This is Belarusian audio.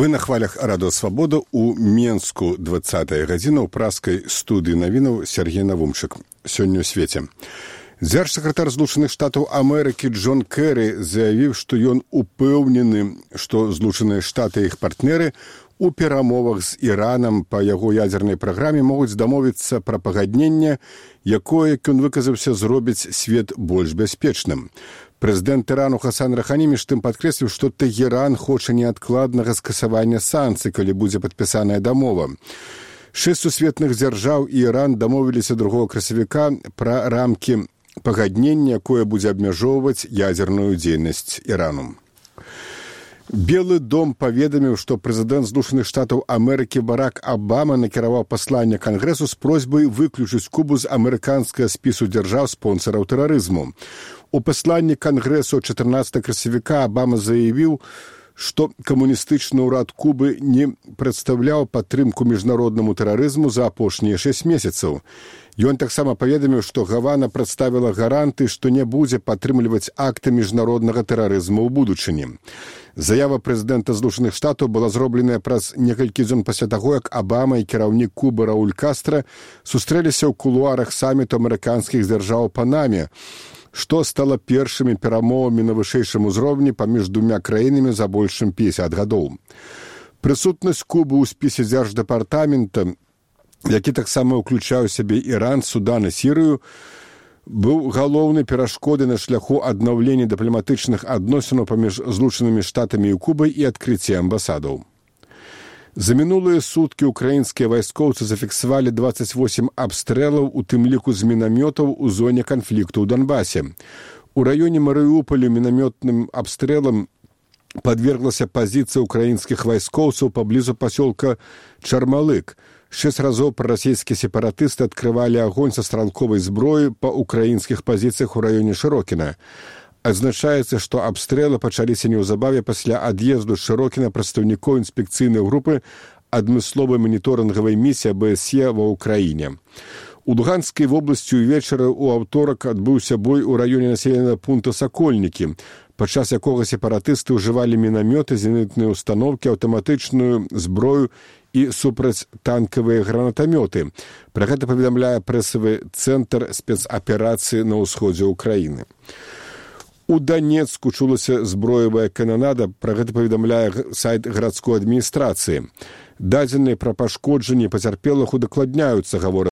Вы на хвалях Радыё Свабода у Менску 20-я гадзіна ў праскай студыі навінаў Сергей Навумчык. Сёння ў свеце. Дзяржсакратар Злучаных Штатаў Амерыкі Джон Кэры заявіў, што ён упэўнены, што Злучаныя Штаты і іх партнеры у перамовах з Іранам па яго ядзернай праграме могуць дамовіцца пра пагадненне, якое, як ён выказаўся, зробіць свет больш бяспечным. Прэзідэнт Ірану Хасан Рахані між тым падкрэсліў, што Тэгеран хоча неадкладнага скасавання санкцый, калі будзе падпісаная дамова. 6 сусветных дзяржаў і Іран дамовіліся 2 красавіка пра рамкі пагаднення, якое будзе абмяжоўваць ядзерную дзейнасць Ірану. Белы дом паведаміў, што прэзідэнт Злучаных Штатаў Амерыкі Барак Абама накіраваў пасланне Кангрэсу з просьбай выключыць Кубу з амерыканскага спісу дзяржаў-спонсараў тэрарызму. У пасланні Кангрэсу 14 красавіка Абама заявіў, што камуністычны ўрад Кубы не прадстаўляў падтрымку міжнароднаму тэрарызму за апошнія 6 месяцаў. Ён таксама паведаміў, што Гавана прадставіла гаранты, што не будзе падтрымліваць акты міжнароднага тэрарызму ў будучыні. Заява прэзідэнта Злучаных Штатаў была зробленая праз некалькі дзён пасля таго, як Абама і кіраўнік Кубы Рауль Кастра сустрэліся ў кулуарах саміту амерыканскіх дзяржаў у Панаме, што стала першымі перамовамі на вышэйшым узроўні паміж двумя краінамі за больш чым 50 гадоў. Прысутнасць Кубы ў спісе дзярждэпартамента, які таксама ўключаў у сябе Іран, Судан і Сірыю, быў галоўнай перашкодай на шляху аднаўлення дыпламатычных адносінаў паміж Злучанымі Штатамі і Кубай і адкрыцця амбасадаў. За мінулыя суткі ўкраінскія вайскоўцы зафіксавалі 28 абстрэлаў, у тым ліку з мінамётаў у зоне канфлікту ў Донбасе. У раёне Марыуполя мінамётным абстрэлам падверглася пазіцыя ўкраінскіх вайскоўцаў паблізу пасёлка Чармалык. 6 разоў прарасійскія сепаратысты адкрывалі агонь са стралковай зброі па ўкраінскіх пазіцыях у раёне Шырокіна. Адзначаецца, што абстрэлы пачаліся неўзабаве пасля ад'езду з Шырокіна прадстаўнікоў інспекцыйнай групы адмысловай маніторынгавай місіі АБСЕ ва ўкраіне. У Луганскай вобласці ўвечары ў аўторак адбыўся бой у раёне населенага пункта Сакольнікі, падчас якога сепаратысты ўжывалі мінамёты, зенітныя ўстаноўкі, аўтаматычную зброю і супрацьтанкавыя гранатамёты. Пра гэта паведамляе прэсавы цэнтр спецаперацыі на ўсходзе ўкраіны. У Данецку чулася зброевая кананада, пра гэта паведамляе сайт гарадской адміністрацыі. Дадзеныя пра пашкоджанні пацярпелых удакладняюцца, гавораць